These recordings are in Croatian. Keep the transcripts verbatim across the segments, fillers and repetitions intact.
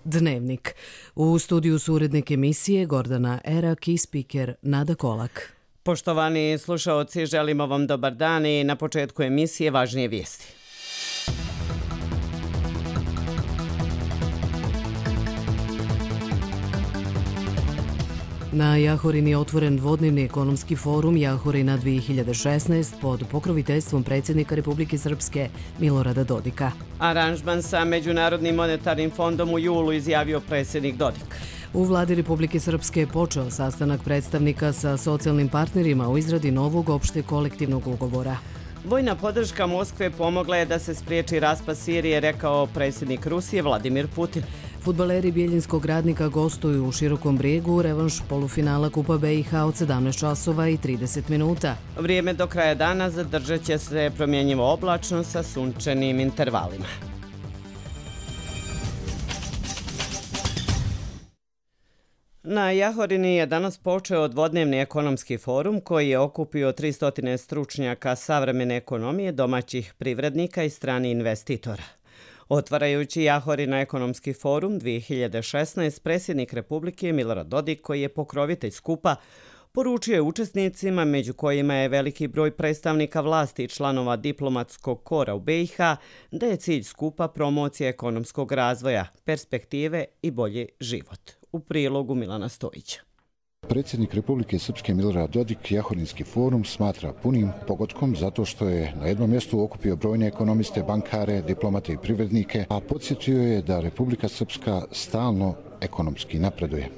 Dnevnik. U studiju su urednik emisije Gordana Erak i spiker Nada Kolak. Poštovani slušaoci, želimo vam dobar dan i na početku emisije važnije vijesti. Na Jahorini je otvoren dvodnevni ekonomski forum Jahorina dvije hiljade šesnaest pod pokroviteljstvom predsjednika Republike Srpske Milorada Dodika. Aranžman sa Međunarodnim monetarnim fondom u julu izjavio predsjednik Dodik. U vladi Republike Srpske je počeo sastanak predstavnika sa socijalnim partnerima u izradi novog opšte kolektivnog ugovora. Vojna podrška Moskve pomogla je da se spriječi raspad Sirije, rekao predsjednik Rusije Vladimir Putin. Fudbaleri Bjeljinskog Radnika gostuju u Širokom Brijegu u revanš polufinala Kupa B i H od sedamnaest časova i trideset minuta. Vrijeme do kraja dana zadržat će se promjenjivo oblačno sa sunčanim intervalima. Na Jahorini je danas počeo dvodnevni ekonomski forum koji je okupio tristo stručnjaka savremene ekonomije, domaćih privrednika i strani investitora. Otvarajući Jahorina ekonomski forum dvije hiljade šesnaest, predsjednik Republike Milorad Dodik, koji je pokrovitelj skupa, poručio je učesnicima, među kojima je veliki broj predstavnika vlasti i članova diplomatskog kora u B i H, da je cilj skupa promocija ekonomskog razvoja, perspektive i bolji život. U prilogu Milana Stojića. Predsjednik Republike Srpske Milorad Dodik Jahorinski forum smatra punim pogodkom zato što je na jednom mjestu okupio brojne ekonomiste, bankare, diplomate i privrednike, a podsjetio je da Republika Srpska stalno ekonomski napreduje.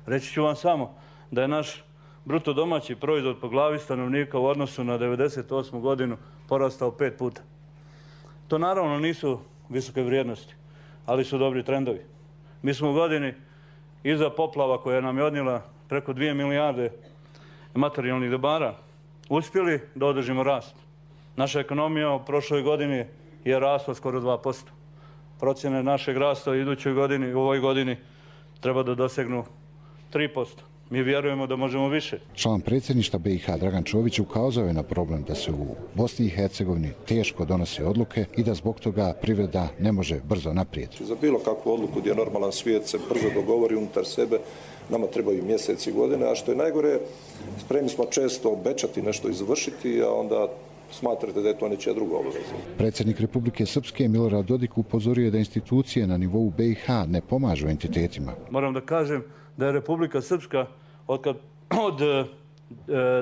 Reći ću vam samo da je naš bruto domaći proizvod po glavi stanovnika u odnosu na devedeset osmu godinu porastao pet puta. To naravno nisu visoke vrijednosti, ali su dobri trendovi. Mi smo u godini iza poplava koja nam je odnijela preko dvije milijarde materijalnih dobara uspjeli da održimo rast. Naša ekonomija u prošloj godini je rasla skoro dva posto. Procjene našeg rasta u idućoj godini, u ovoj godini treba da dosegnu tri posto. Mi vjerujemo da možemo više. Član predsjedništva B i H Dragan Čović ukazao je na problem da se u Bosni i Hercegovini teško donose odluke i da zbog toga privreda ne može brzo naprijed. Za bilo kakvu odluku gdje normalan svijet se brzo dogovori unutar sebe, nama trebaju mjeseci i godine, a što je najgore, spremni smo često obećati nešto izvršiti, a onda smatrate da je to nečija druga obaveza. Predsjednik Republike Srpske Milorad Dodik upozorio je da institucije na nivou B i H ne pomažu entitetima. Moram da kažem da je Republika Srpska od, kad, od e,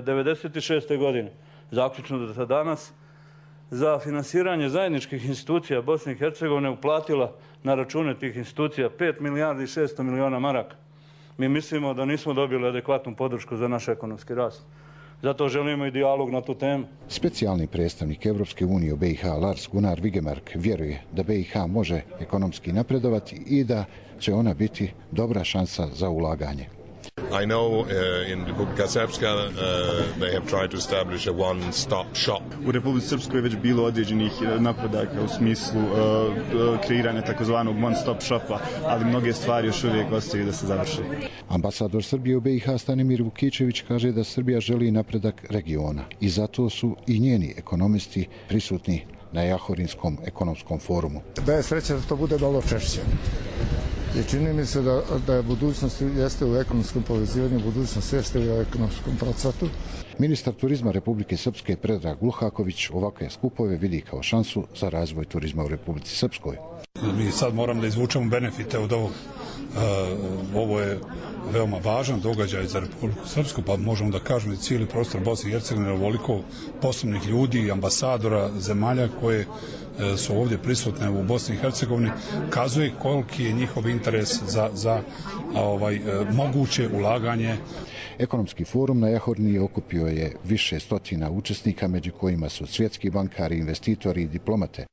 devedeset šeste godine zaključno do danas za finansiranje zajedničkih institucija Bosne i Hercegovine uplatila na račune tih institucija pet milijardi i šesto miliona maraka. Mi mislimo da nismo dobili adekvatnu podršku za naš ekonomski rast. Zato želimo i dijalog na tu temu. Specijalni predstavnik Evropske unije u B i H Lars Gunnar Vigemark vjeruje da B i H može ekonomski napredovati i da će ona biti dobra šansa za ulaganje. I know uh, in Republika Srpska uh, they have tried to establish a one-stop shop. U Republici Srpskoj je već bilo određenih napredaka u smislu uh, kreiranja takozvanog one-stop shopa, ali mnoge stvari još uvijek ostaju da se završi. Ambasador Srbije u B i H Stanimir Vukičević kaže da Srbija želi napredak regiona i zato su i njeni ekonomisti prisutni na Jahorinskom ekonomskom forumu. Da je sreća da to bude malo češće. I čini mi se da, da je budućnost jeste u ekonomskom povezivanju, budućnost jeste u ekonomskom procvatu. Ministar turizma Republike Srpske Predrag Luhaković ovakve skupove vidi kao šansu za razvoj turizma u Republici Srpskoj. Mi sad moramo da izvučemo benefite od ovog. Uh, ovo je veoma važan događaj za Republiku Srpsku, pa možemo da kažemo da cijeli prostor Bosne i Hercegovine je ovoliko poslovnih ljudi, ambasadora, zemalja koje uh, su ovdje prisutne u Bosni i Hercegovini, kazuje koliki je njihov interes za, za ovaj, uh, moguće ulaganje. Ekonomski forum na Jahorini okupio je više stotina učesnika, među kojima su svjetski bankari, investitori i diplomate.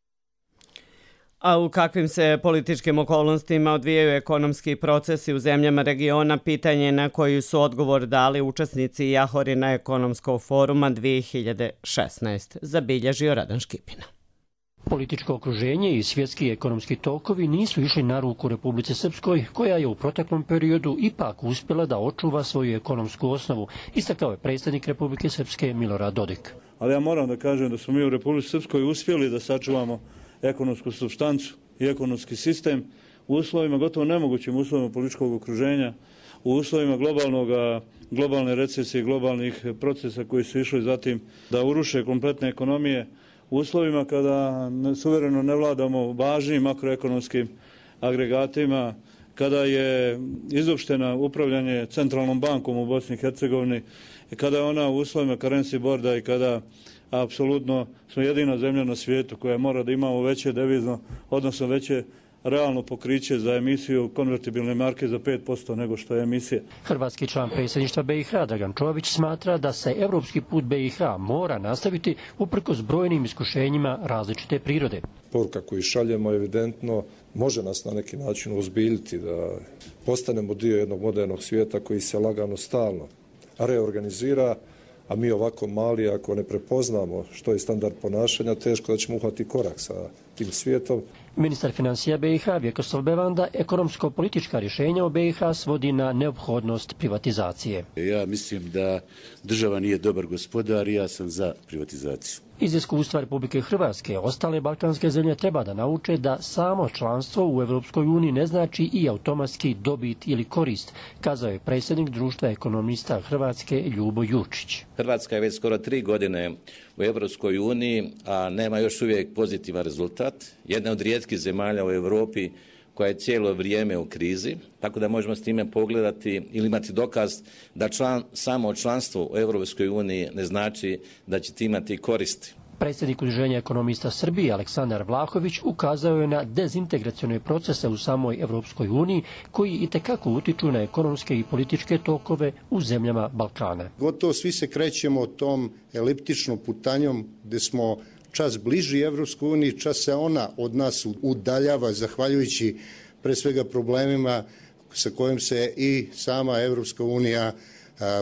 A u kakvim se političkim okolnostima odvijaju ekonomski procesi u zemljama regiona, pitanje na koji su odgovor dali učesnici Jahorina ekonomskog foruma dvije hiljade šesnaest, zabilježio Radan Škipina. Političko okruženje i svjetski ekonomski tokovi nisu išli na ruku Republici Srpskoj, koja je u proteklom periodu ipak uspjela da očuva svoju ekonomsku osnovu, istakao je predsjednik Republike Srpske Milorad Dodik. Ali ja moram da kažem da smo mi u Republici Srpskoj uspjeli da sačuvamo ekonomsku supstancu i ekonomski sistem u uslovima, gotovo nemogućim uslovima političkog okruženja, u uslovima globalnog, globalne recesije, globalnih procesa koji su išli zatim da uruše kompletne ekonomije, u uslovima kada suvereno ne vladamo važnim makroekonomskim agregatima, kada je izopštena upravljanje centralnom bankom u Bosni i Hercegovini, kada je ona u uslovima currency boarda i kada apsolutno smo jedina zemlja na svijetu koja mora da imamo veće devizno, odnosno veće realno pokriće za emisiju konvertibilne marke za pet posto nego što je emisija. Hrvatski član predsjedništva B i H Dragan Čović smatra da se evropski put B i H mora nastaviti uprkos brojnim iskušenjima različite prirode. Poruka koju šaljemo evidentno može nas na neki način ozbiljiti da postanemo dio jednog modernog svijeta koji se lagano stalno reorganizira, a mi ovako mali, ako ne prepoznamo što je standard ponašanja, teško da ćemo uhvatiti korak sa tim svijetom. Ministar financija B i H Vjekoslav Bevanda ekonomsko-politička rješenja u B i H svodi na neophodnost privatizacije. Ja mislim da država nije dobar gospodar i ja sam za privatizaciju. Iz iskustva Republike Hrvatske, ostale balkanske zemlje treba da nauče da samo članstvo u Europskoj uniji ne znači i automatski dobit ili korist, kazao je predsjednik Društva ekonomista Hrvatske Ljubo Jurčić. Hrvatska je već skoro tri godine u Europskoj uniji, a nema još uvijek pozitivan rezultat. Jedna od rijetkih zemalja u Europi koja je cijelo vrijeme u krizi, tako da možemo s time pogledati ili imati dokaz da član, samo članstvo u Europskoj uniji ne znači da ćete imati koristi. Predsjednik Udruženja ekonomista Srbije Aleksandar Vlahović ukazao je na dezintegracione procese u samoj Europskoj uniji koji itekako utiču na ekonomske i političke tokove u zemljama Balkana. Gotovo svi se krećemo tom eliptičnom putanjom gdje smo čas bliži Evropskoj uniji, čas se ona od nas udaljava zahvaljujući pre svega problemima sa kojim se i sama Evropska unija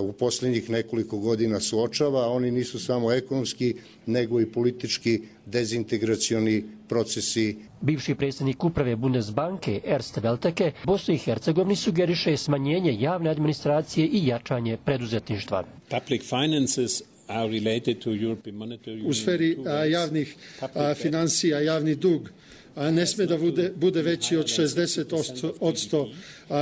u posljednjih nekoliko godina suočava. Oni nisu samo ekonomski, nego i politički dezintegracioni procesi. Bivši predsjednik uprave Bundesbanke Erst Welteke Bosni i Hercegovini sugeriše smanjenje javne administracije i jačanje preduzetništva. Public finances u sferi javnih financija, javni dug ne sme da bude, bude veći od šezdeset posto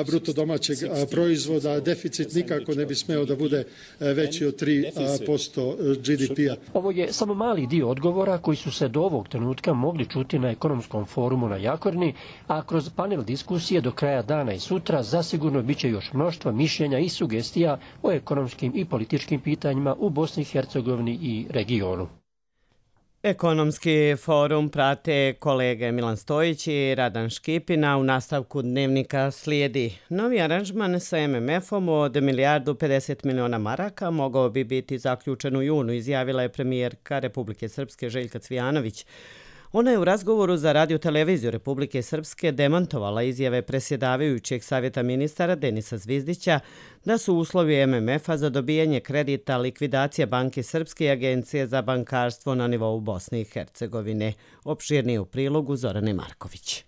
bruto domaćeg proizvoda, deficit nikako ne bi smeo da bude veći od tri posto G D P-a. Ovo je samo mali dio odgovora koji su se do ovog trenutka mogli čuti na ekonomskom forumu na Jakorni, a kroz panel diskusije do kraja dana i sutra zasigurno bit će još mnoštvo mišljenja i sugestija o ekonomskim i političkim pitanjima u Bosni i Hercegovini i regionu. Ekonomski forum prate kolege Milan Stojić i Radan Škipina. U nastavku dnevnika slijedi novi aranžman sa M M F-om od milijardu pedeset miliona maraka mogao bi biti zaključen u junu, izjavila je premijerka Republike Srpske Željka Cvijanović. Ona je u razgovoru za radio-televiziju Republike Srpske demantovala izjave predsjedavajućeg savjeta ministara Denisa Zvizdića da su uslovi M M F-a za dobijanje kredita likvidacija Banke Srpske i Agencije za bankarstvo na nivou Bosne i Hercegovine. Opširnije u prilogu Zorane Marković.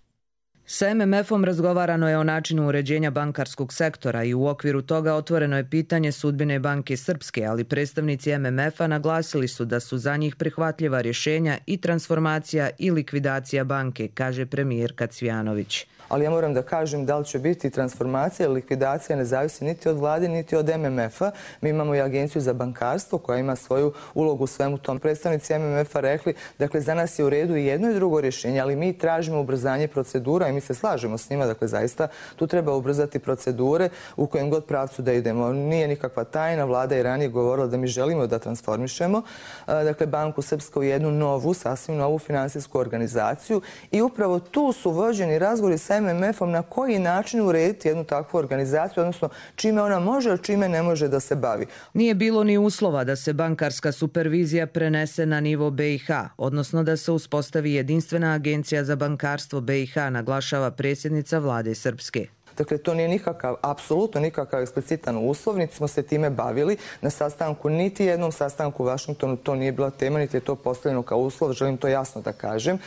Sa M M F-om razgovarano je o načinu uređenja bankarskog sektora i u okviru toga otvoreno je pitanje sudbine Banke Srpske, ali predstavnici M M F-a naglasili su da su za njih prihvatljiva rješenja i transformacija i likvidacija banke, kaže premijerka Cvijanović. Ali ja moram da kažem da li će biti transformacija ili likvidacija ne zavisi niti od vlade, niti od M M F-a. Mi imamo i Agenciju za bankarstvo koja ima svoju ulogu u svemu tom. Predstavnici M M F-a rekli, dakle, za nas je u redu i jedno i drugo rješenje, ali mi tražimo ubrzanje procedura i mi se slažemo s njima. Dakle, zaista tu treba ubrzati procedure u kojem god pravcu da idemo. Nije nikakva tajna, vlada je ranije govorila da mi želimo da transformišemo dakle, Banku Srpsku u jednu novu, sasvim novu finansijsku organizaciju i upravo tu su vođeni razgovori sa M M F-om na koji način urediti jednu takvu organizaciju, odnosno čime ona može, a čime ne može da se bavi. Nije bilo ni uslova da se bankarska supervizija prenese na nivo B i H, odnosno da se uspostavi jedinstvena agencija za bankarstvo B i H, naglašava predsjednica vlade Srpske. Dakle, to nije nikakav, apsolutno nikakav eksplicitan uslov, niti smo se time bavili na sastanku, niti jednom sastanku u Vašingtonu, to nije bila tema, niti je to postavljeno kao uslov, želim to jasno da kažem.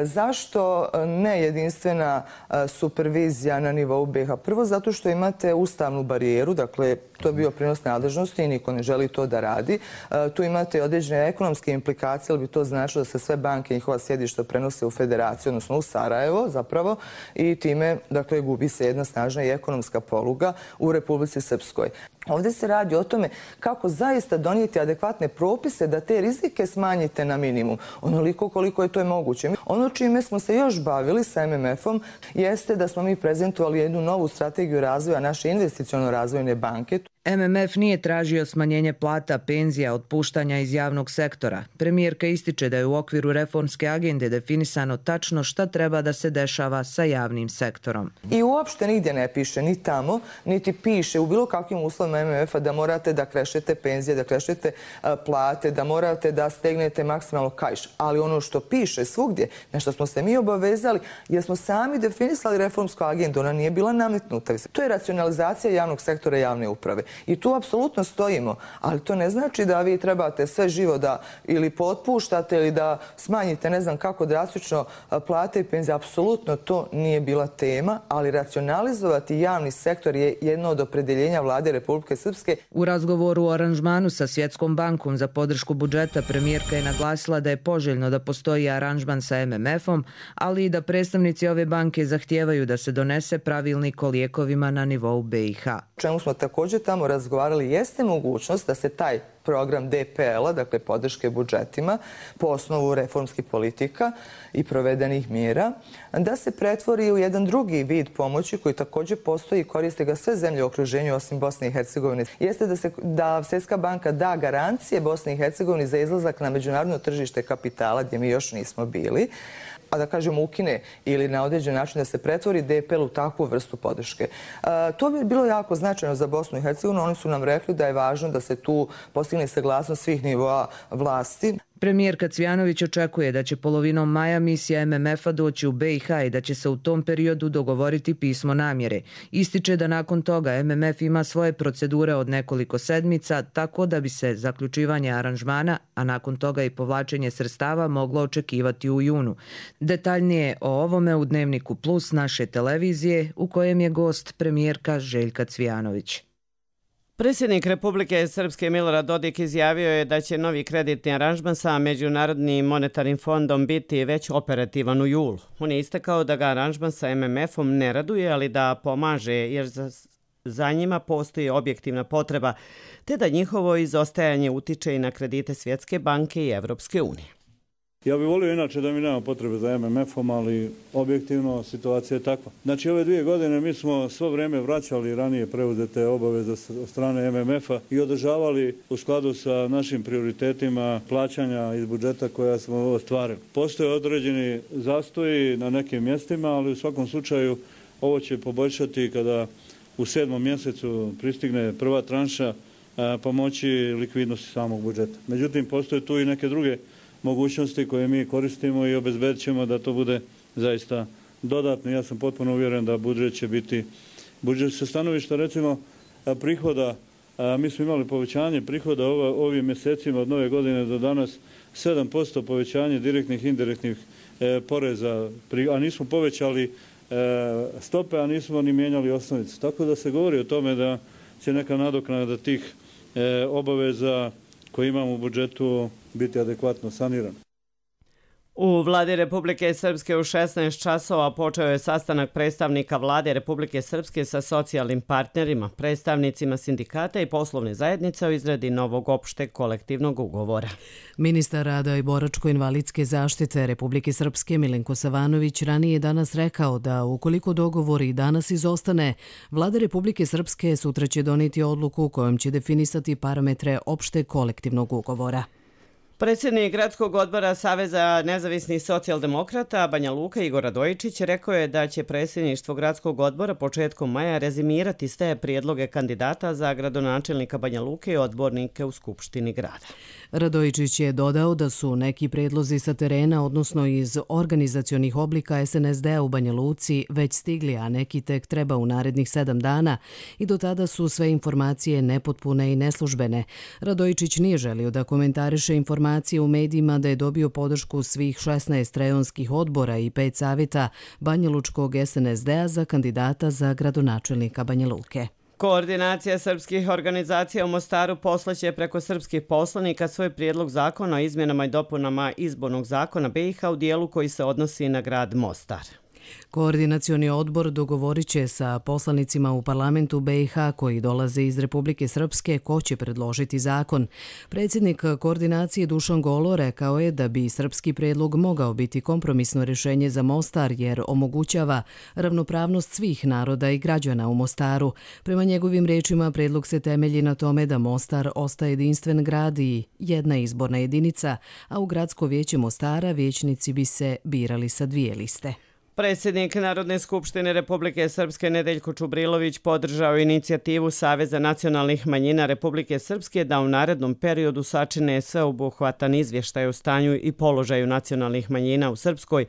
Zašto ne jedinstvena supervizija na nivou B iha? Prvo, zato što imate ustavnu barijeru, dakle, to je bio prinos nadležnosti i niko ne želi to da radi. Tu imate određene ekonomske implikacije, ali bi to značilo da se sve banke i njihova sjedišta prenose u federaciju, odnosno u Sarajevo zapravo, i time, dakle, gubi se jedna snažna i ekonomska poluga u Republici Srpskoj. Ovdje se radi o tome kako zaista donijeti adekvatne propise da te rizike smanjite na minimum, onoliko koliko je to je moguće. Ono čime smo se još bavili sa em em efom jeste da smo mi prezentovali jednu novu strategiju razvoja naše investiciono-razvojne banke. em em ef nije tražio smanjenje plata, penzija, otpuštanja iz javnog sektora. Premijerka ističe da je u okviru reformske agende definisano tačno šta treba da se dešava sa javnim sektorom. I uopšte nigdje ne piše, ni tamo, niti piše u bilo kakvim uslovima em em efa da morate da krešete penzije, da krešete plate, da morate da stegnete maksimalno kaiš. Ali ono što piše svugdje, na što smo se mi obavezali, jer smo sami definisali reformsku agendu, ona nije bila nametnuta. To je racionalizacija javnog sektora i javne uprave. I tu apsolutno stojimo, ali to ne znači da vi trebate sve živo da ili potpuštate ili da smanjite ne znam kako drastično plate i penzije. Apsolutno to nije bila tema, ali racionalizovati javni sektor je jedno od opredeljenja vlade Republike Srpske. U razgovoru o aranžmanu sa Svjetskom bankom za podršku budžeta premijerka je naglasila da je poželjno da postoji aranžman sa em em efom, ali i da predstavnici ove banke zahtijevaju da se donese pravilnik o lijekovima na nivou be i ha. Čemu smo također tamo razgovarali jeste mogućnost da se taj program de pe el-a, dakle podrške budžetima, po osnovu reformskih politika i provedenih mjera, da se pretvori u jedan drugi vid pomoći koji također postoji i koriste ga sve zemlje u okruženju osim Bosne i Hercegovine. Jeste da, se, da Svjetska banka da garancije Bosni i Hercegovini za izlazak na međunarodno tržište kapitala gdje mi još nismo bili, a da kažemo ukine ili na određen način da se pretvori de pe el u takvu vrstu podrške. E, to bi bilo jako značajno za Bosnu i Hercegovinu. Oni su nam rekli da je važno da se tu postigne saglasnost svih nivoa vlasti. Premijerka Cvjanović očekuje da će polovinom maja misija em em efa doći u be i ha i da će se u tom periodu dogovoriti pismo namjere. Ističe da nakon toga em em ef ima svoje procedure od nekoliko sedmica, tako da bi se zaključivanje aranžmana, a nakon toga i povlačenje sredstava moglo očekivati u junu. Detaljnije o ovome u Dnevniku Plus naše televizije, u kojem je gost premijerka Željka Cvjanović. Predsjednik Republike Srpske Milorad Dodik izjavio je da će novi kreditni aranžman sa Međunarodnim monetarnim fondom biti već operativan u julu. On je istakao da ga aranžman sa em em efom ne raduje, ali da pomaže jer za, za njima postoji objektivna potreba, te da njihovo izostajanje utiče i na kredite Svjetske banke i Evropske unije. Ja bih volio inače da mi nema potrebe za em em efom, ali objektivno situacija je takva. Znači ove dvije godine mi smo svo vrijeme vraćali ranije preuzete obaveze od strane em em efa i održavali u skladu sa našim prioritetima plaćanja iz budžeta koja smo ostvarili. Postoje određeni zastoji na nekim mjestima, ali u svakom slučaju ovo će poboljšati kada u sedmom mjesecu pristigne prva tranša pomoći likvidnosti samog budžeta. Međutim, postoje tu i neke druge mogućnosti koje mi koristimo i obezbedit ćemo da to bude zaista dodatno. Ja sam potpuno uvjeren da budžet će biti, budžet sa stanovišta recimo prihoda, mi smo imali povećanje prihoda ovim mjesecima od nove godine do danas, sedam posto povećanje direktnih i indirektnih poreza, a nismo povećali stope, a nismo ni mijenjali osnovicu. Tako da se govori o tome da će neka nadoknada tih obaveza koje imamo u budžetu biti adekvatno saniran. U vladi Republike Srpske u šesnaest časova počeo je sastanak predstavnika vlade Republike Srpske sa socijalnim partnerima, predstavnicima sindikata i poslovne zajednice o izradi novog opšteg kolektivnog ugovora. Ministar rada i boračko-invalidske zaštite Republike Srpske Milenko Savanović ranije danas rekao da ukoliko dogovor i danas izostane, vlada Republike Srpske sutra će donijeti odluku kojom će definisati parametre opšteg kolektivnog ugovora. Predsjednik Gradskog odbora Saveza nezavisnih socijaldemokrata Banja Luka Igor Radojičić rekao je da će predsjedništvo Gradskog odbora početkom maja rezimirati sve prijedloge kandidata za gradonačelnika Banja Luke i odbornike u Skupštini grada. Radojičić je dodao da su neki predlozi sa terena, odnosno iz organizacionih oblika es en es de-a u Banja Luci, već stigli, a neki tek treba u narednih sedam dana i do tada su sve informacije nepotpune i neslužbene. Radojičić nije želio da komentariše informacije u medijima da je dobio podršku svih šesnaest rejonskih odbora i pet savjeta Banjalučkog es en es de-a za kandidata za gradonačelnika Banja Luke. Koordinacija srpskih organizacija u Mostaru poslaće preko srpskih poslanika svoj prijedlog zakona o izmjenama i dopunama izbornog zakona be i ha u dijelu koji se odnosi na grad Mostar. Koordinacioni odbor dogovorit će sa poslanicima u parlamentu be i ha koji dolaze iz Republike Srpske ko će predložiti zakon. Predsjednik koordinacije Dušan Golo rekao je da bi srpski predlog mogao biti kompromisno rješenje za Mostar jer omogućava ravnopravnost svih naroda i građana u Mostaru. Prema njegovim rečima predlog se temelji na tome da Mostar ostaje jedinstven grad i jedna izborna jedinica, a u Gradsko vijeće Mostara vijećnici bi se birali sa dvije liste. Predsjednik Narodne skupštine Republike Srpske Nedeljko Čubrilović podržao inicijativu Saveza nacionalnih manjina Republike Srpske da u narednom periodu sačine sveobuhvatan izvještaj o stanju i položaju nacionalnih manjina u Srpskoj,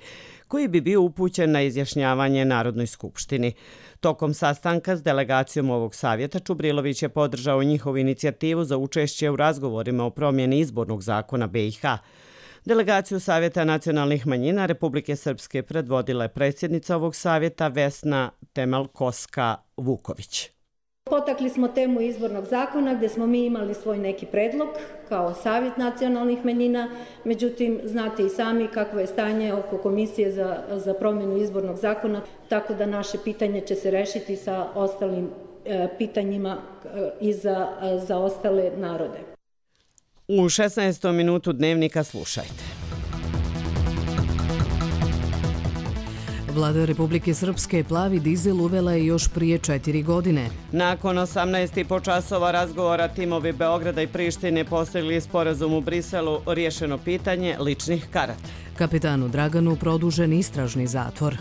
koji bi bio upućen na izjašnjavanje Narodnoj skupštini. Tokom sastanka s delegacijom ovog savjeta Čubrilović je podržao njihovu inicijativu za učešće u razgovorima o promjeni izbornog zakona be i ha. Delegaciju Savjeta nacionalnih manjina Republike Srpske predvodila je predsjednica ovog savjeta Vesna Temelkoska-Vuković. Potakli smo temu izbornog zakona gdje smo mi imali svoj neki predlog kao Savjet nacionalnih manjina, međutim znate i sami kakvo je stanje oko komisije za, za promjenu izbornog zakona, tako da naše pitanje će se rešiti sa ostalim e, pitanjima e, i za, e, za ostale narode. U šesnaestom minutu dnevnika slušajte. Vlada Republike Srpske plavi dizel uvela je još prije četiri godine. Nakon osamnaest i po časova razgovora timovi Beograda i Prištine postigli sporazum u Briselu o riješeno pitanje ličnih karata. Kapetanu Draganu produžen istražni zatvor.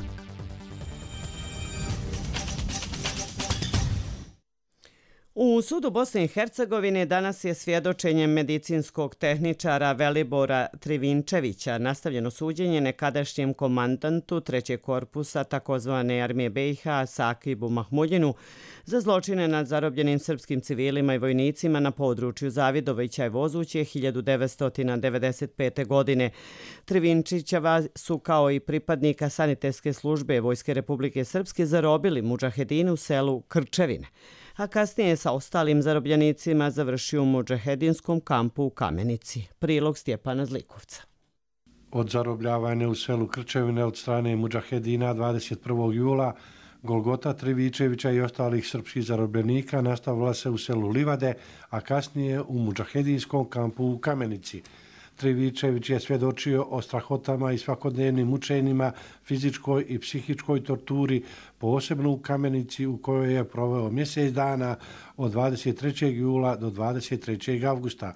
U sudu Bosne i Hercegovine danas je svjedočenje medicinskog tehničara Velibora Trivinčevića nastavljeno suđenje nekadašnjem komandantu trećeg korpusa takozvane armije be i ha Sakibu Mahmudjinu za zločine nad zarobljenim srpskim civilima i vojnicima na području Zavidovića i Vozuće hiljadu devetsto devedeset pete. godine. Trivinčićeva su kao i pripadnika sanitetske službe Vojske Republike Srpske zarobili mudžahedine u selu Krčevine, a kasnije sa ostalim zarobljenicima završio u mudžahedinskom kampu u Kamenici. Prilog Stjepana Zlikovca. Od zarobljavanja u selu Krčevine od strane mudžahedina dvadeset prvog jula Golgota Trivičevića i ostalih srpskih zarobljenika nastavila se u selu Livade, a kasnije u mudžahedinskom kampu u Kamenici. Trivičević je svjedočio o strahotama i svakodnevnim mučenjima, fizičkoj i psihičkoj torturi, posebno u Kamenici u kojoj je proveo mjesec dana od dvadeset trećeg jula do dvadeset trećeg avgusta.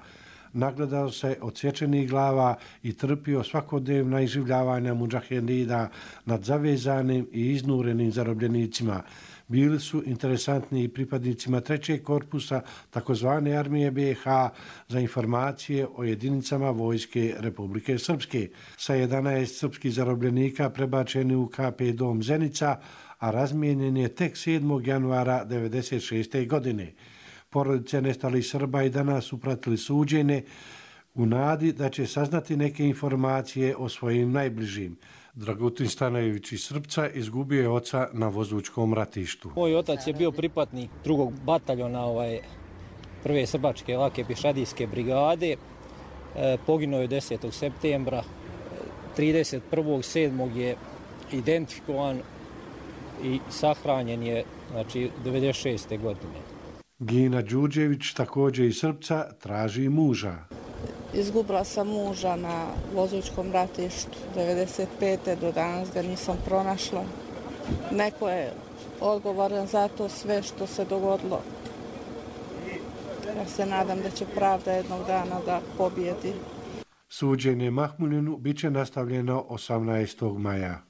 Nagledao se odsječenih glava i trpio svakodnevna iživljavanja mudžahedina nad zavezanim i iznurenim zarobljenicima. Bili su interesantni i pripadnicima trećeg korpusa takozvane armije be i ha za informacije o jedinicama Vojske Republike Srpske. Sa jedanaest srpskih zarobljenika prebačeni u ka pe dom Zenica, a razmijenjen je tek sedmog januara devedeset šeste. godine. Porodice nestalih Srba i danas su pratili suđenje u nadi da će saznati neke informacije o svojim najbližim. Dragutin Stanojević iz Srpca izgubio je oca na Vozućkom ratištu. Moj otac je bio pripadnik drugog bataljona ovaj, prve srbačke lake pješadijske brigade. E, poginuo je desetog septembra. trideset prvog sedmog je identifikovan i sahranjen je znači, devedeset šeste. godine. Gina Đuđević, također iz Srpca, traži muža. Izgubila sam muža na Vozućkom ratištu devedeset pete. do danas ga nisam pronašla. Neko je odgovoran za to sve što se dogodilo. Ja se nadam da će pravda jednog dana da pobijedi. Suđenje Mahmudinu bit će nastavljeno osamnaestog maja.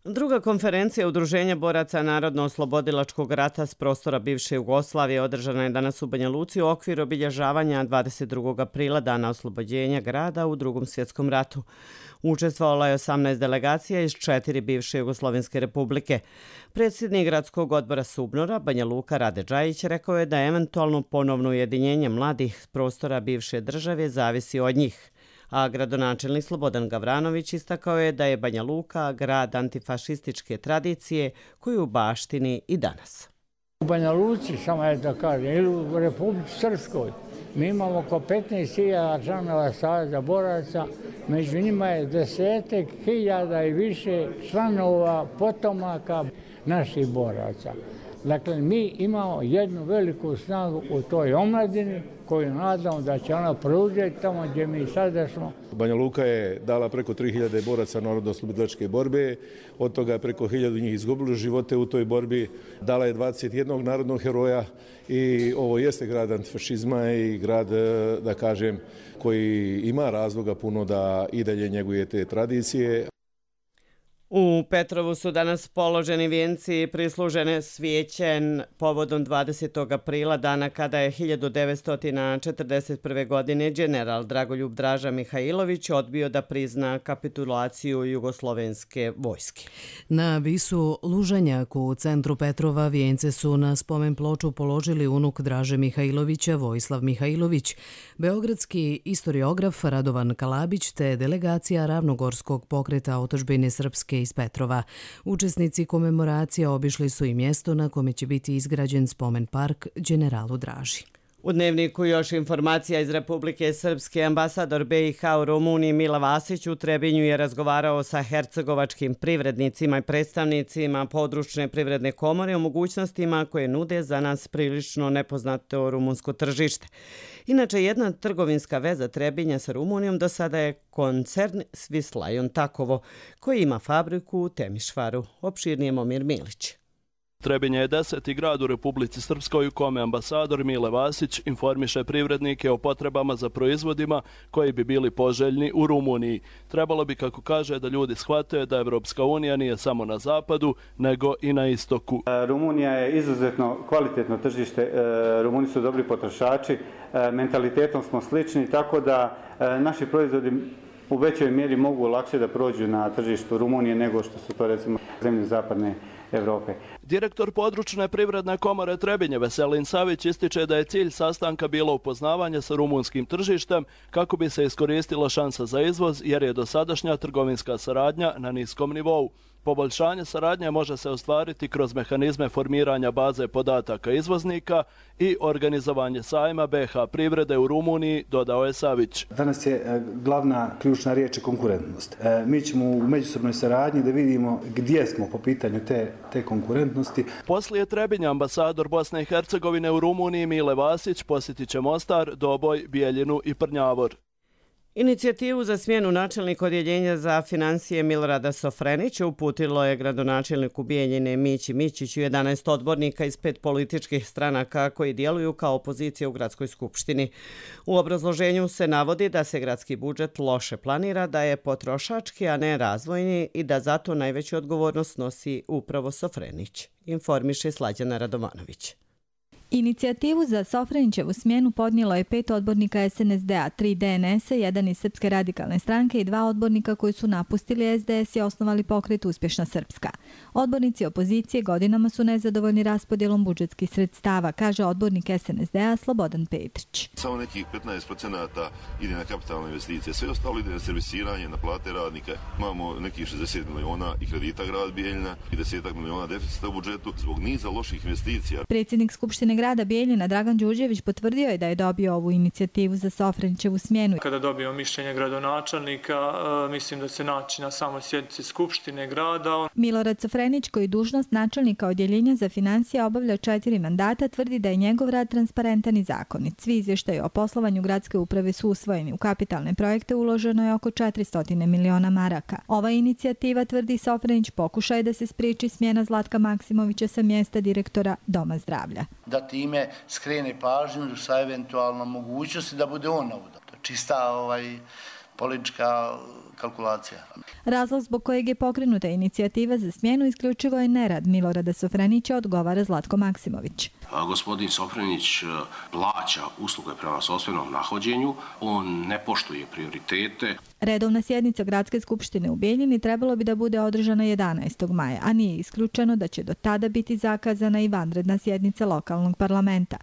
Druga konferencija Udruženja boraca Narodno-oslobodilačkog rata s prostora bivše Jugoslavije održana je danas u Banja Luci u okviru obilježavanja dvadeset drugog aprila, dana oslobođenja grada u Drugom svjetskom ratu. Učestvovala je osamnaest delegacija iz četiri bivše Jugoslovenske republike. Predsjednik gradskog odbora Subnora, Banja Luka Rade Džajić, rekao je da eventualno ponovno ujedinjenje mladih s prostora bivše države zavisi od njih. A gradonačelnik Slobodan Gavranović istakao je da je Banja Luka grad antifašističke tradicije koju baštini i danas. U Banja Luci, samo je da kažem, ili u Republici Srpskoj, mi imamo oko petnaest hiljada članova Saveza boraca, među njima je desetak hiljada i više članova potomaka naših boraca. Dakle, mi imamo jednu veliku snagu u toj omladini koju nadamo da će ona preuzeti tamo gdje mi sada smo. Banja Luka je dala preko tri hiljade boraca narodno-oslobodilačke borbe, od toga je preko hiljadu njih izgubilo živote u toj borbi, dala je dvadeset jednog narodnog heroja i ovo jeste grad antifašizma i grad, da kažem, koji ima razloga puno da i dalje njeguje te tradicije. U Petrovu su danas položeni vijenci prislužene svijećen povodom dvadesetog aprila, dana kada je hiljadu devetsto četrdeset prve. godine general Dragoljub Draža Mihajlović odbio da prizna kapitulaciju jugoslovenske vojske. Na visu Lužanjak u centru Petrova vijence su na spomen ploču položili unuk Draže Mihajlovića, Vojislav Mihajlović, beogradski istoriograf Radovan Kalabić te delegacija Ravnogorskog pokreta otadžbine srpske iz Petrova. Učesnici komemoracije obišli su i mjesto na kome će biti izgrađen spomen park generalu Draži. U Dnevniku još informacija iz Republike Srpske. Ambasador B i H u Rumuniji Mile Vasić u Trebinju je razgovarao sa hercegovačkim privrednicima i predstavnicima područne privredne komore o mogućnostima koje nude za nas prilično nepoznato rumunsko tržište. Inače, jedna trgovinska veza Trebinja sa Rumunijom do sada je koncern Swiss Lion Takovo, koji ima fabriku u Temišvaru. Opširnije Momir Milić. Trebinje je deseti grad u Republici Srpskoj u kome ambasador Mile Vasić informiše privrednike o potrebama za proizvodima koji bi bili poželjni u Rumuniji. Trebalo bi, kako kaže, da ljudi shvate da Evropska unija nije samo na zapadu, nego i na istoku. Rumunija je izuzetno kvalitetno tržište, Rumuni su dobri potrošači, mentalitetom smo slični, tako da naši proizvodi u većoj mjeri mogu lakše da prođu na tržištu Rumunije nego što su to recimo zemlje zapadne Evrope. Direktor područne privredne komore Trebinje Veselin Savić ističe da je cilj sastanka bilo upoznavanje sa rumunskim tržištem kako bi se iskoristila šansa za izvoz jer je dosadašnja trgovinska saradnja na niskom nivou. Poboljšanje saradnje može se ostvariti kroz mehanizme formiranja baze podataka izvoznika i organizovanje sajma B H privrede u Rumuniji, dodao je Savić. Danas je glavna ključna riječ konkurentnost. Mi ćemo u međusobnoj saradnji da vidimo gdje smo po pitanju te, te konkurentnosti. Poslije Trebinja ambasador Bosne i Hercegovine u Rumuniji Mile Vasić posjetit će Mostar, Doboj, Bijeljinu i Prnjavor. Inicijativu za smjenu načelnika odjeljenja za financije Milorada Sofrenića uputilo je gradonačelniku Bijeljine Mići Mićiću jedanaest odbornika iz pet političkih stranaka koji djeluju kao opozicija u gradskoj skupštini. U obrazloženju se navodi da se gradski budžet loše planira, da je potrošački, a ne razvojni i da zato najveću odgovornost nosi upravo Sofrenić, informiše Slađana Radovanović. Inicijativu za Sofrenićevu smjenu podnijelo je pet odbornika S N S D-a, tri D N S-a, jedan iz Srpske radikalne stranke i dva odbornika koji su napustili S D S i osnovali pokret Uspješna Srpska. Odbornici opozicije godinama su nezadovoljni raspodjelom budžetskih sredstava, kaže odbornik S N S D-a Slobodan Petrić. Samo nekih petnaest procenata ide na kapitalne investicije, sve ostalo ide na servisiranje, na plate radnika. Imamo nekih šezdeset miliona i kredita grad Bijeljina i desetak miliona deficita u budžetu zbog niza loših investicija. Predsjednik Skupštine grada Bijeljina Dragan Đurđević potvrdio je da je dobio ovu inicijativu za Sofrenićevu smjenu. Kada dobio mišljenje gradonačelnika, mislim da se naći na samoj sjednici Skupštine grada. Milorad Sofrenić, koji dužnost načelnika odjeljenja za financije obavlja četiri mandata, tvrdi da je njegov rad transparentan i zakonit. Svi izvještaji o poslovanju gradske uprave su usvojeni. U kapitalne projekte uloženo je oko četiristo miliona maraka. Ova inicijativa, tvrdi Sofrenić, pokušaj da se spriječi smjena Zlatka Maksimovića sa mjesta direktora Doma zdravlja. Da time skrene pažnju sa eventualno mogućnosti da bude on ovdje. To je čista ovaj, politička kalkulacija. Razlog zbog kojeg je pokrenuta inicijativa za smjenu isključivo je nerad Milorada Sofrenića, odgovara Zlatko Maksimović. A, gospodin Sofrenić plaća usluge prema sopstvenom nahođenju, on ne poštuje prioritete. Redovna sjednica Gradske skupštine u Bijeljini trebalo bi da bude održana jedanaestog maja, a nije isključeno da će do tada biti zakazana i vanredna sjednica lokalnog parlamenta.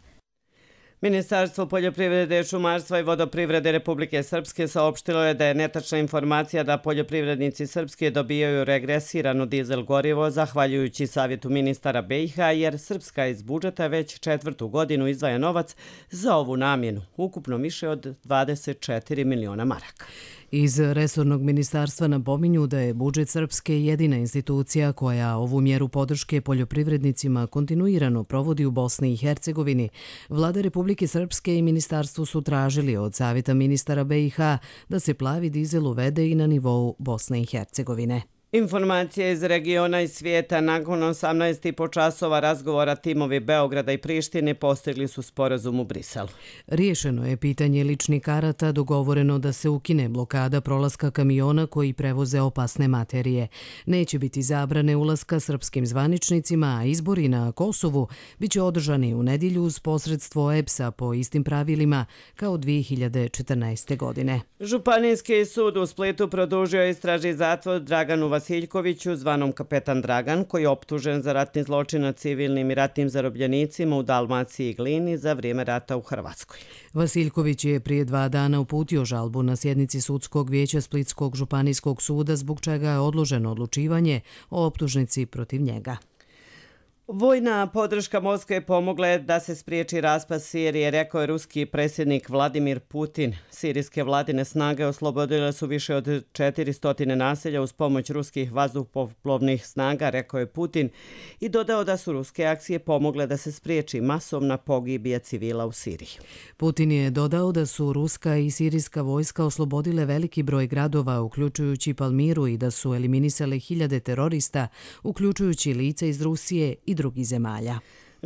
Ministarstvo poljoprivrede, šumarstva i vodoprivrede Republike Srpske saopštilo je da je netačna informacija da poljoprivrednici Srpske dobijaju regresirano dizel gorivo zahvaljujući savjetu ministara B i H, jer Srpska iz budžeta već četvrtu godinu izdvaja novac za ovu namjenu, ukupno više od dvadeset četiri miliona maraka. Iz resornog ministarstva napominju da je budžet Srpske jedina institucija koja ovu mjeru podrške poljoprivrednicima kontinuirano provodi u Bosni i Hercegovini. Vlada Republike Srpske i ministarstvo su tražili od savjeta ministara B i H da se plavi dizel uvede i na nivou Bosne i Hercegovine. Informacije iz regiona i svijeta. Nakon osamnaest i po časova razgovora timovi Beograda i Prištine postigli su sporazum u Briselu. Riješeno je pitanje ličnih karata, dogovoreno da se ukine blokada prolaska kamiona koji prevoze opasne materije. Neće biti zabrane ulaska srpskim zvaničnicima, a izbori na Kosovu biće održani u nedjelju uz posredstvo E P S-a po istim pravilima kao dvije hiljade četrnaeste. godine. Županijski sud u Splitu produžio istražni zatvor Draganu Vasiljkoviću, zvanom Kapetan Dragan, koji je optužen za ratni zločin nad civilnim i ratnim zarobljenicima u Dalmaciji i Glini za vrijeme rata u Hrvatskoj. Vasiljković je prije dva dana uputio žalbu na sjednici sudskog vijeća Splitskog županijskog suda, zbog čega je odloženo odlučivanje o optužnici protiv njega. Vojna podrška Moskve pomogla je da se spriječi raspad Sirije, rekao je ruski predsjednik Vladimir Putin. Sirijske vladine snage oslobodile su više od četiristo naselja uz pomoć ruskih vazduhoplovnih snaga, rekao je Putin, i dodao da su ruske akcije pomogle da se spriječi masovna pogibija civila u Siriji. Putin je dodao da su ruska i sirijska vojska oslobodile veliki broj gradova, uključujući Palmiru, i da su eliminisale hiljade terorista, uključujući lica iz Rusije i drugih zemalja.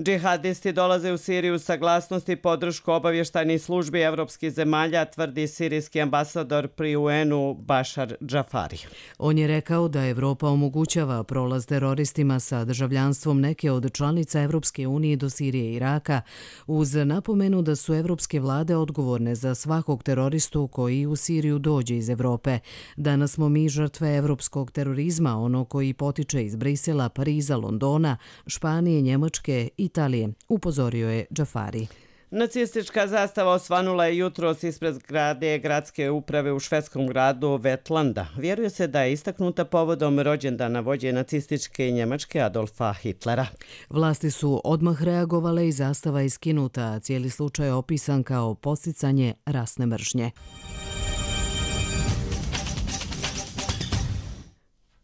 Džihadisti dolaze u Siriju saglasnosti i podršku obavještajnih službi evropskih zemalja, tvrdi sirijski ambasador pri U N-u Bašar Džafari. On je rekao da Evropa omogućava prolaz teroristima sa državljanstvom neke od članica Evropske unije do Sirije i Iraka, uz napomenu da su evropske vlade odgovorne za svakog teroristu koji u Siriju dođe iz Evrope. Danas smo mi žrtve evropskog terorizma, ono koji potiče iz Brisela, Pariza, Londona, Španije, Njemačke i Italije, upozorio je Džafari. Nacistička zastava osvanula je jutros ispred zgrade gradske uprave u švedskom gradu Vetlanda. Vjeruje se da je istaknuta povodom rođendana vođe nacističke i Njemačke Adolfa Hitlera. Vlasti su odmah reagovale i zastava je skinuta, a cijeli slučaj je opisan kao podsticanje rasne mržnje.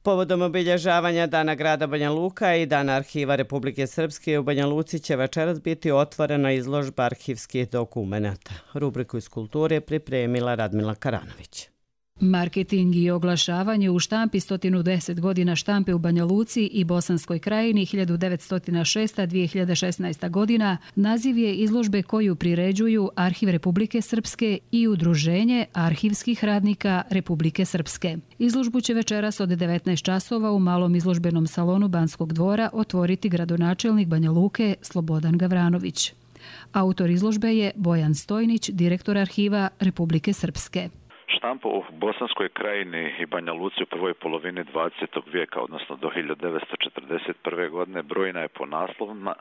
Povodom obilježavanja Dana grada Banja Luka i Dana arhiva Republike Srpske u Banja Luci će večeras biti otvorena izložba arhivskih dokumenata. Rubriku iz kulture pripremila Radmila Karanović. Marketing i oglašavanje u štampi sto deset godina štampe u Banja Luci i Bosanskoj krajini hiljadu devetsto šesta do dvije hiljade šesnaeste. godina naziv je izložbe koju priređuju Arhiv Republike Srpske i Udruženje arhivskih radnika Republike Srpske. Izložbu će večeras od devetnaest časova u malom izložbenom salonu Banskog dvora otvoriti gradonačelnik Banja Luke Slobodan Gavranović. Autor izložbe je Bojan Stojnić, direktor Arhiva Republike Srpske. Štampa u Bosanskoj krajini i Banja Luci u prvoj polovini dvadesetog vijeka, odnosno do hiljadu devetsto četrdeset prve. godine, brojna je po naslovima,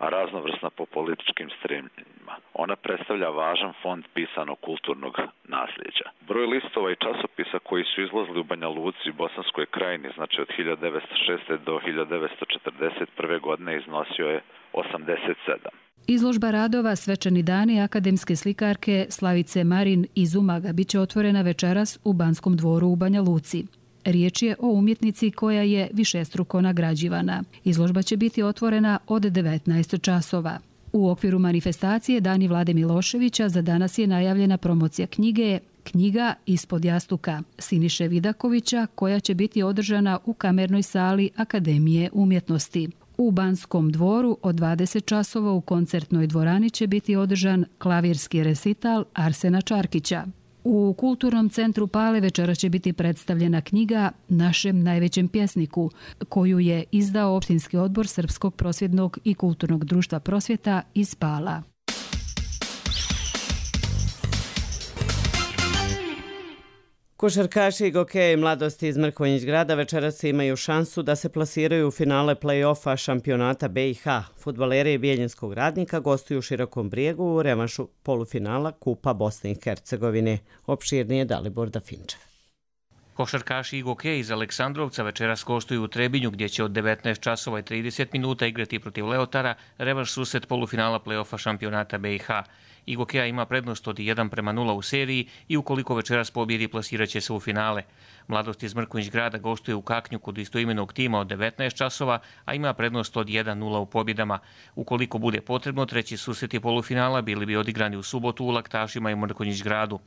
a raznovrsna po političkim stremljenjima. Ona predstavlja važan fond pisanog kulturnog nasljeđa. Broj listova i časopisa koji su izlazili u Banja Luci i Bosanskoj krajini, znači od hiljadu devetsto šeste. do hiljadu devetsto četrdeset prve. godine, iznosio je osamdeset sedam. Izložba radova Svečani dani akademske slikarke Slavice Marin iz Umaga biće otvorena večeras u Banskom dvoru u Banja Luci. Riječ je o umjetnici koja je višestruko nagrađivana. Izložba će biti otvorena od devetnaest časova. U okviru manifestacije Dani Vlade Miloševića za danas je najavljena promocija knjige Knjiga ispod jastuka Siniše Vidakovića, koja će biti održana u kamernoj sali Akademije umjetnosti. U Banskom dvoru od dvadeset časova u koncertnoj dvorani će biti održan klavirski resital Arsena Čarkića. U Kulturnom centru Pale večera će biti predstavljena knjiga Našem najvećem pjesniku, koju je izdao Opštinski odbor Srpskog prosvjednog i kulturnog društva prosvjeta iz Pala. Košarkaši i gokeji mladosti iz Mrkonjić grada večeras imaju šansu da se plasiraju u finale play-offa šampionata B i H. Fudbaleri Bijeljinskog Radnika gostuju u Širokom Brijegu u revanšu polufinala Kupa Bosne i Hercegovine. Opširnije Dalibor Dafinčev. Košarkaši i gokeji iz Aleksandrovca večeras gostuju u Trebinju gdje će od devetnaest časova i trideset minuta igrati protiv Leotara revanš susret polufinala play-offa šampionata B i H. I gokeja ima prednost od jedan prema nula u seriji i ukoliko večeras pobjedi plasiraće se u finale. Mladost iz Mrkonjić grada gostuje u Kaknju kod istoimenog tima od devetnaest časova, a ima prednost od jedan nula u pobjedama. Ukoliko bude potrebno, treći susreti polufinala bili bi odigrani u subotu u Laktašima i Mrkonjić gradu.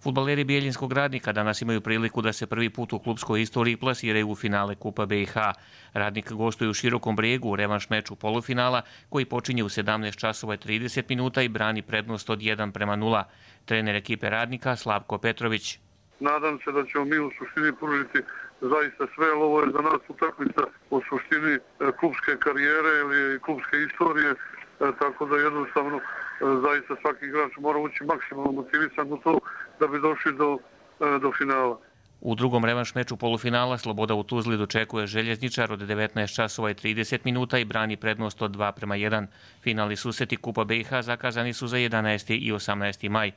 Fudbaleri Bijeljinskog Radnika danas imaju priliku da se prvi put u klubskoj istoriji plasiraju u finale Kupa B i H. Radnik gostuje u Širokom Brijegu u revanš meču polufinala koji počinje u sedamnaest časova i trideset minuta i brani prednost od jedan prema nula. Trener ekipe Radnika Slavko Petrović. Nadam se da ćemo mi u suštini pružiti zaista sve, ali ovo je za nas utakmica u suštini klubske karijere ili klubske istorije, tako da jednostavno zaista svaki igrač mora ući maksimalno motivisan u to da bi došli do, do finala. U drugom revanš meču polufinala Sloboda u Tuzli dočekuje Željezničar od devetnaest časova i trideset minuta i brani prednost od dva prema jedan. Finalni susreti Kupa B i H zakazani su za jedanaesti i osamnaesti maj.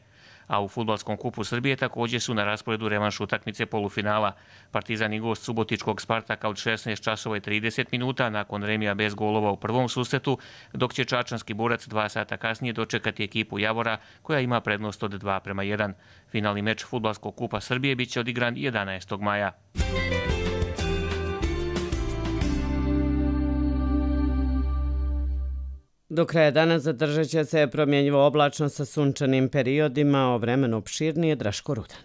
A u Fudbalskom kupu Srbije također su na rasporedu revanš utakmice polufinala. Partizan i gost subotičkog Spartaka od šesnaest časova i trideset minuta nakon remija bez golova u prvom susretu, dok će čačanski Borac dva sata kasnije dočekati ekipu Javora koja ima prednost od dva prema jedan. Finalni meč Fudbalskog kupa Srbije biće odigran jedanaestog maja. Do kraja dana zadržat će se promjenjivo oblačno sa sunčanim periodima, o vremenu opširnije Draško Rudan.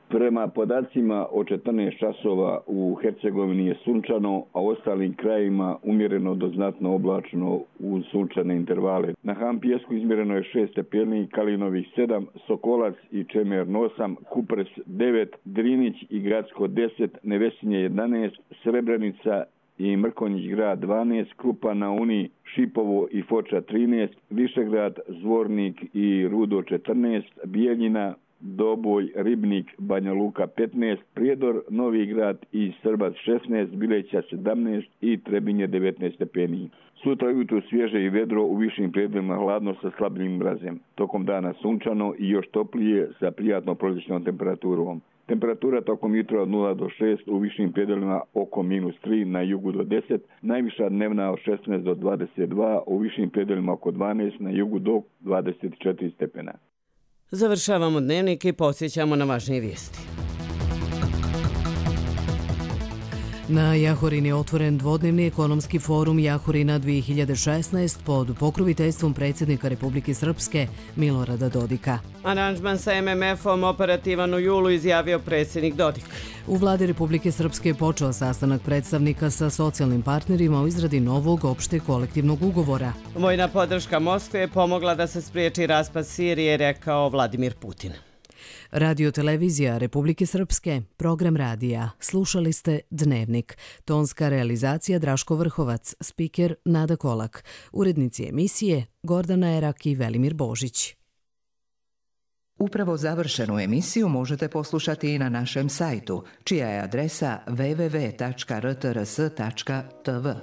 Prema podacima od četrnaest časova u Hercegovini je sunčano, a u ostalim krajevima umjereno do znatno oblačno uz sunčane intervale. Na Han Pijesku izmjereno je šest stepeni, Kalinovih sedam, Sokolac i Čemer osam, Kupres devet, Drinić i Gradsko deset, Nevesinje jedanaest, Srebrenica i Mrkonjić grad dvanaest, Krupa na Uni, Šipovo i Foča trinaest, Višegrad, Zvornik i Rudo četrnaest, Bijeljina, Doboj, Ribnik, Banja Luka petnaest, Prijedor, Novi Grad i Srbac šesnaest, Bileća sedamnaest i Trebinje devetnaest stepeni. Sutra ujutro svježe i vedro, u višim predjelima hladno sa slabim mrazem. Tokom dana sunčano i još toplije sa prijatno proljećnom temperaturom. Temperatura tokom jutra od nula do šest, u višim predjelima oko minus tri, na jugu do deset, najviša dnevna od šesnaest do dvadeset dva, u višim predjelima oko dvanaest, na jugu do dvadeset četiri stepena. Završavamo dnevnik i podsjećamo na važnije vijesti. Na Jahorini je otvoren dvodnevni ekonomski forum Jahorina dvije hiljade šesnaest pod pokroviteljstvom predsjednika Republike Srpske Milorada Dodika. Aranžman sa em em efom operativan u julu, izjavio predsjednik Dodik. U vladi Republike Srpske je počeo sastanak predstavnika sa socijalnim partnerima u izradi novog opšte kolektivnog ugovora. Vojna podrška Moskve je pomogla da se spriječi raspad Sirije, rekao Vladimir Putin. Radio-televizija Republike Srpske, program radija. Slušali ste Dnevnik. Tonska realizacija Draško Vrhovac, spiker Nada Kolak. Urednici emisije Gordana Erak i Velimir Božić. Upravo završenu emisiju možete poslušati i na našem sajtu, čija je adresa w w w tačka r t r s tačka t v.